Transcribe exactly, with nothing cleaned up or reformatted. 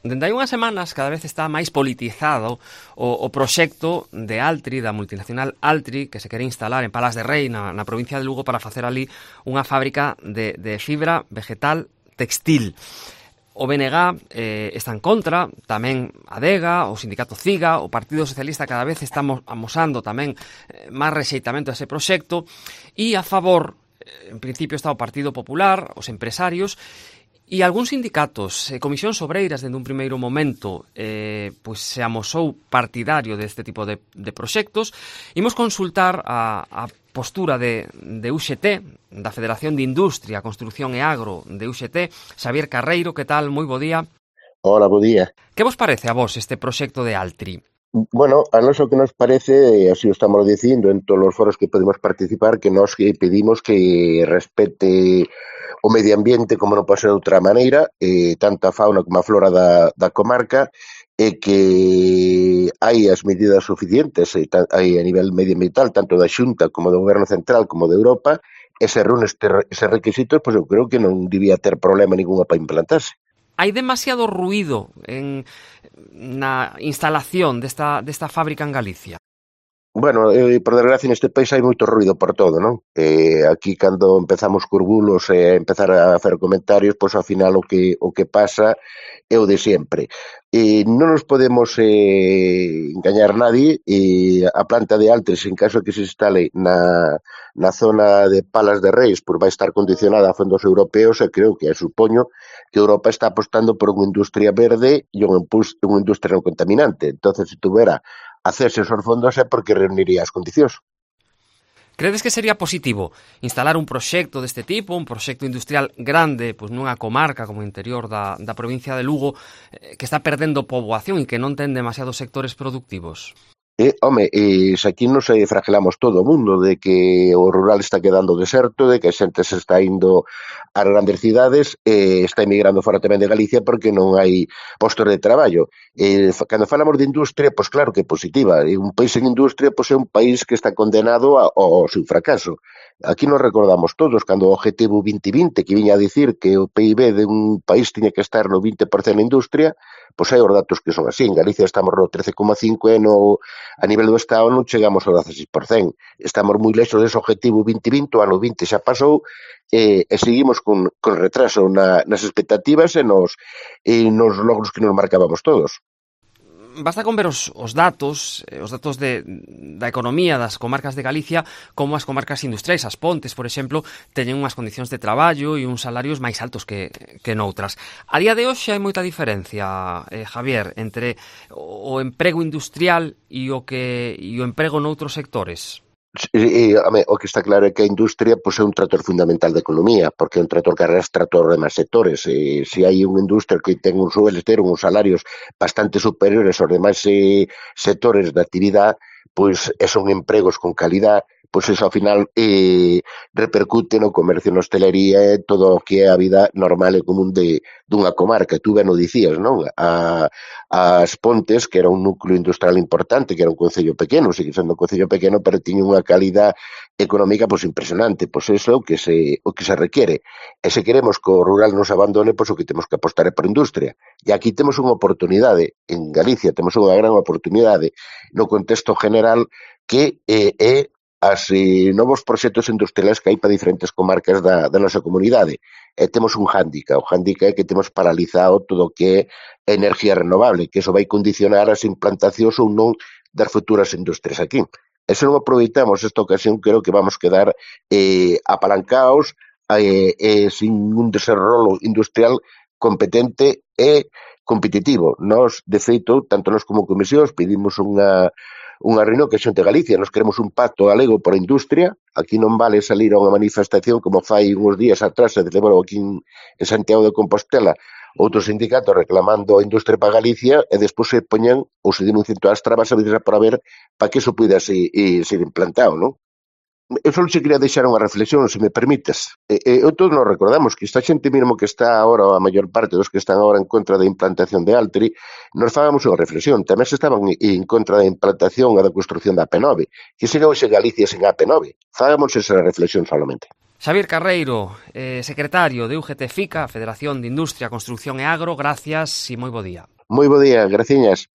Dende hai unhas semanas cada vez está máis politizado o, o proxecto de Altri, da multinacional Altri, que se quere instalar en Palas de Rei, na, na provincia de Lugo, para facer ali unha fábrica de, de fibra vegetal textil. O B N G eh, está en contra, tamén a Adega, o sindicato CIGA, o Partido Socialista cada vez está amosando tamén eh, máis rexeitamento a ese proxecto, e a favor, eh, en principio, está o Partido Popular, os empresarios, e algúns sindicatos, eh, comisións obreiras, dende un primeiro momento, eh, pois se amosou partidario deste tipo de, de proxectos. Imos consultar a, a postura de, de U X T, da Federación de Industria, Construción e Agro de U X T, Xavier Carreiro. Que tal? Moi bo día. Hola, bo día. Que vos parece a vos este proxecto de Altri? Bueno, a nós o que nos parece, así o estamos dicindo en todos os foros que podemos participar, que nós que pedimos que respete o medio ambiente como non pode ser de outra maneira, eh, tanto a fauna como a flora da, da comarca, e que hai as medidas suficientes e ta, hai a nivel medioambiental, tanto da Xunta como do Goberno Central como de Europa, e se reúne este, ese requisitos, pois eu creo que non debía ter problema ninguna para implantarse. Hai demasiado ruído en, na instalación desta, desta fábrica en Galicia? Bueno, eh, por desgracia neste país hai moito ruido por todo, non? Eh, aquí cando empezamos cos bulos e eh, empezar a facer comentarios, pois ao final o que o que pasa é o de sempre. Eh, non nos podemos eh, engañar nadie, eh, a planta de Altri, en caso que se instale na, na zona de Palas de Reis, pois vai estar condicionada a fondos europeos, e creo que, supoño, que Europa está apostando por unha industria verde e unha, unha industria non contaminante. Entonces, se tuvera hacerse esos fondos é porque reuniría as condicións. Credes que sería positivo instalar un proxecto deste tipo, un proxecto industrial grande, pois nunha comarca como o interior da, da provincia de Lugo, eh, que está perdendo poboación e que non ten demasiados sectores productivos? Eh, home, eh, se aquí nos eh, fragelamos todo o mundo de que o rural está quedando deserto, de que a xente se está indo ás grandes cidades, eh, está emigrando fora tamén de Galicia porque non hai postos de traballo. Eh, cando falamos de industria, pois claro que é positiva. E un país en industria pois é un país que está condenado ao seu fracaso. Aquí nos recordamos todos cando o Objetivo vinte vinte, que viña a dicir que o P I B de un país tiña que estar no vinte por cento na industria, pois hai os datos que son así. En Galicia estamos no trece coma cinco e no, a nivel do Estado non chegamos ao dezaseis por cento. Estamos moi lexos dese Objetivo vinte vinte, o ano vinte xa pasou, e, e seguimos con, con retraso na, nas expectativas e nos, e nos logros que nos marcábamos todos. Basta con ver os, os datos, os datos de, da economía das comarcas de Galicia, como as comarcas industriais, as Pontes, por exemplo, teñen unhas condicións de traballo e uns salarios máis altos que, que noutras. A día de hoxe hai moita diferencia, eh, Javier, entre o emprego industrial e o que e o emprego noutros sectores. E, a me, o que está claro é que a industria pois, é un trator fundamental da economía, porque é un trator que arrastra todos os demais sectores. E, se hai unha industria que ten uns sueles, ter uns salarios bastante superiores aos demais eh, sectores da actividade, pois son empregos con calidad, pois eso ao final eh, repercute no comercio, na hostelería e todo o que é a vida normal e común de, dunha comarca. Tú ben o dicías, non? A, as Pontes, que era un núcleo industrial importante, que era un concello pequeno, sigue sendo un concello pequeno, pero tiña unha calidad económica pois impresionante. Pois eso é o que se, o que se requiere. E se queremos que o rural nos abandone, pois o que temos que apostar é por industria. E aquí temos unha oportunidade, en Galicia temos unha gran oportunidade no contexto general que eh, é as eh, novos proxectos industriales que hai para diferentes comarcas da, da nosa comunidade. E temos un hándicap, o hándicap é que temos paralizado todo o que é enerxía renovable, que eso vai condicionar as implantacións ou non das futuras industrias aquí. E se non aproveitamos esta ocasión, creo que vamos quedar eh, apalancados eh, eh, sin un desenrolo industrial competente e competitivo. Nos, de feito, tanto nós como comisións, pedimos unha unha reunión que xente Galicia, nos queremos un pacto galego por a industria. Aquí non vale salir a unha manifestación como fai uns días atrás, se celebrou aquí en, en Santiago de Compostela, outros sindicatos reclamando a industria para Galicia e despois se poñan ou se denuncian todas as trabas a veces para ver para que eso puida ser, eh, ser implantado, non? Eu só se quería deixar unha reflexión, se me permites. E, e, todos nos recordamos que esta xente mesmo que está agora, a maior parte dos que están agora en contra da implantación de Altri, nos fagamos unha reflexión. Tamén se estaban en contra da implantación e da construcción da A P nove. Que sería hoxe Galicia sen A P nove? Fagamos esa reflexión solamente. Xavier Carreiro, eh, secretario de U G T FICA, Federación de Industria, Construcción e Agro, gracias e moi bo día. Moi bo día, graciñas.